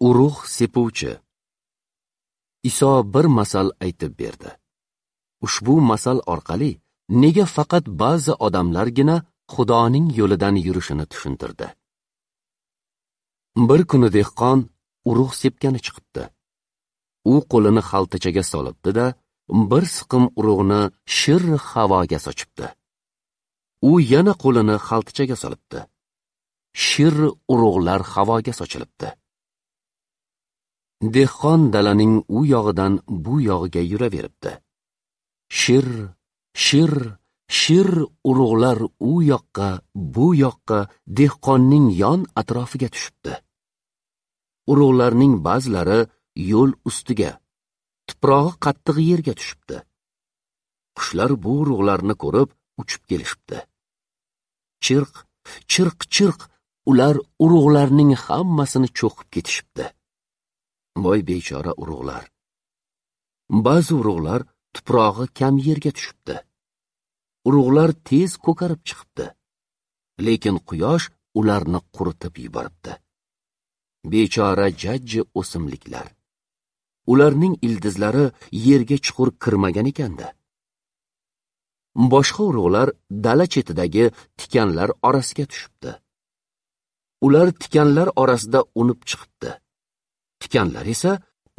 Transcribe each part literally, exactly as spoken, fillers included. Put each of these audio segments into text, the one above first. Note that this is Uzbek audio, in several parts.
Urug' sepuvchi. Iso bir masal aytib berdi. Ushbu masal orqali nega faqat ba'zi odamlargina Xudoning yo'lidan yurishini tushuntirdi. Bir kuni dehqon urug' sepgani chiqibdi. U qo'lini xaltachaga solibdi-da, bir siqim urug'ni shir havoga sochibdi. U yana qo'lini xaltachaga solibdi. Shir urug'lar havoga sochilibdi. Dehqon dalaning u yog'idan bu yog'iga yuraveribdi. Shir, shir, shir urug'lar u yoqqa, bu yoqqa dehqonning yon atrofiga tushibdi. Urug'larning ba'zilari yo'l ustiga, tuprog'i qattiq yerga tushibdi. Qushlar bu urug'larni ko'rib uchib kelishibdi. Chirq, chirq, chirq ular urug'larning hammasini cho'qib ketishibdi. Voy bechora urug'lar. Ba'zi urug'lar tuprog'i kam yerga tushibdi. Urug'lar tez ko'karib chiqibdi. Lekin quyosh ularni quritib yuboribdi. Bechora jajji o'simliklar. Ularning ildizlari yerga chuqur kirmagan ekanda. Boshqa urug'lar dala chetidagi tikanlar orasiga tushibdi. Ular tikanlar orasida unib chiqibdi. Tikanlar esa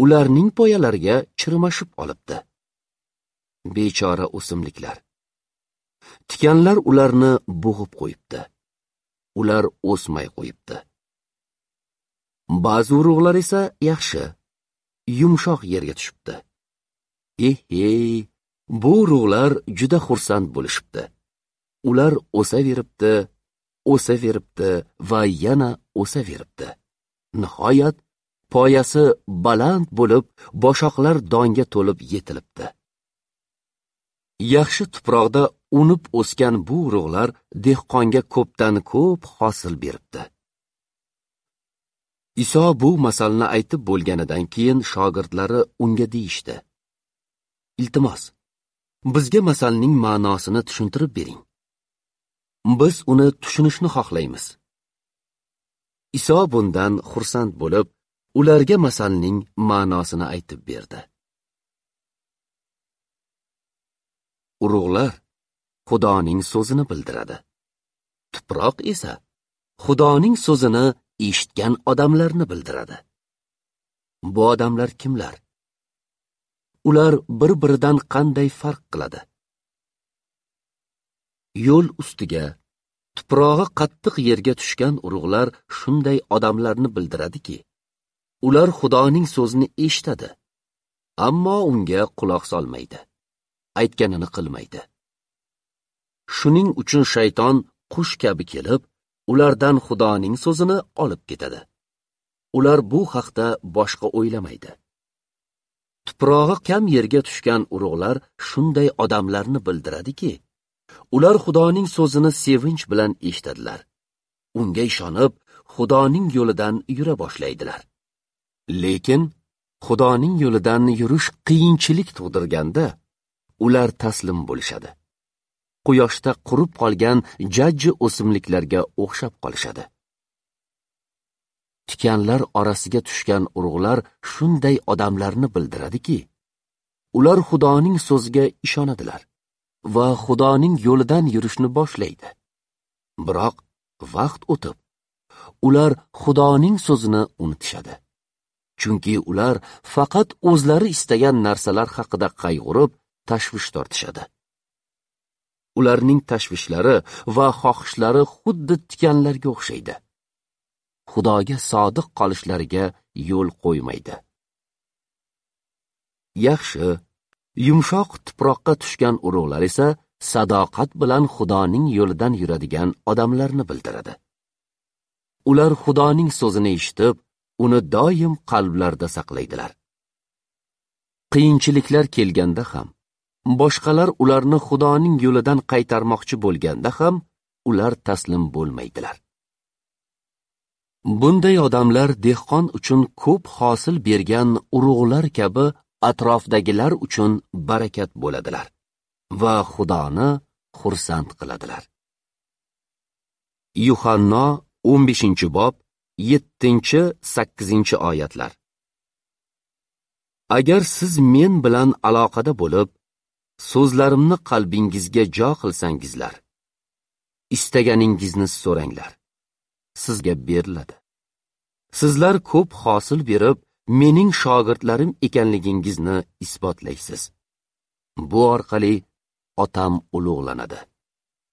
ularning poyalariga chirmashib olibdi. Bechora o'simliklar. Tikanlar ularni bo'g'ib qo'yibdi. Ular o'smay qo'yibdi. Ba'zi urug'lar esa yaxshi, yumshoq yerga tushibdi. Eh-hey, bu urug'lar juda xursand bo'lishibdi. Ular o'saveribdi, o'saveribdi va yana o'saveribdi. Nihoyat poyasi baland bo'lib, boshoqlar donga to'lib yetilibdi. Yaxshi tuproqda unib o'sgan bu urug'lar dehqonga ko'pdan ko'p hosil beribdi. Iso bu masalni aytib bo'lganidan keyin shogirdlari unga deyishdi: "Iltimos, bizga masalning ma'nosini tushuntirib bering. Biz uni tushunishni xohlaymiz." Iso bundan xursand bo'lib, ularga masalning ma'nosini aytib berdi. Urug'lar Xudoning so'zini bildiradi. Tuproq esa Xudoning so'zini eshitgan odamlarni bildiradi. Bu odamlar kimlar? Ular bir-biridan qanday farq qiladi? Yo'l ustiga, tuprog'i qattiq yerga tushgan urug'lar shunday odamlarni bildiradiki, ular Xudoning so'zini eshitadi, ammo unga quloq solmaydi, aytganini qilmaydi. Shuning uchun shayton qush kabi kelib, ulardan Xudoning so'zini olib ketadi. Ular bu haqda boshqa o'ylamaydi. Tuprog'i kam yerga tushgan urug'lar shunday odamlarni bildiradiki, ular Xudoning so'zini sevinch bilan eshitadilar. Unga ishonib, Xudoning yo'lidan yura boshlaydilar. Lekin Xudoning yo'lidan yurish qiyinchilik tug'dirganda, ular taslim bo'lishadi. Quyoshda qurib qolgan jajji o'simliklarga o'xshab qolishadi. Tikanlar orasiga tushgan urug'lar shunday odamlarni bildiradiki, ular Xudoning so'ziga ishonadilar va Xudoning yo'lidan yurishni boshlaydi. Biroq vaqt o'tib, ular Xudoning so'zini unutishadi. Chunki ular faqat o'zlari istagan narsalar haqida qayg'urib, tashvish tortishadi. Ularning tashvishlari va xohishlari xuddi tikanlarga o'xshaydi. Xudoga sodiq qolishlariga yo'l qo'ymaydi. Yaxshi, yumshoq tuproqqa tushgan urug'lar esa sadoqat bilan Xudoning yo'lidan yuradigan odamlarni bildiradi. Ular Xudoning so'zini eshitib, uni doim qalblarida saqlaydilar. Qiyinchiliklar kelganda ham, boshqalar ularni Xudoning yo'lidan qaytarmoqchi bo'lganda ham, ular taslim bo'lmaydilar. Bunday odamlar dehqon uchun ko'p hosil bergan urug'lar kabi atrofdagilar uchun barakat bo'ladilar va Xudoni xursand qiladilar. Yuhanno o'n beshinchi bob yettinchi, sakkizinchi oyatlar. Agar siz men bilan aloqada bo'lib, so'zlarimni qalbingizga jo qilsangizlar, istaganingizni so'ranglar, sizga beriladi. Sizlar ko'p hosil berib, mening shogirdlarim ekanligingizni isbotlaysiz. Bu orqali Otam ulug'lanadi.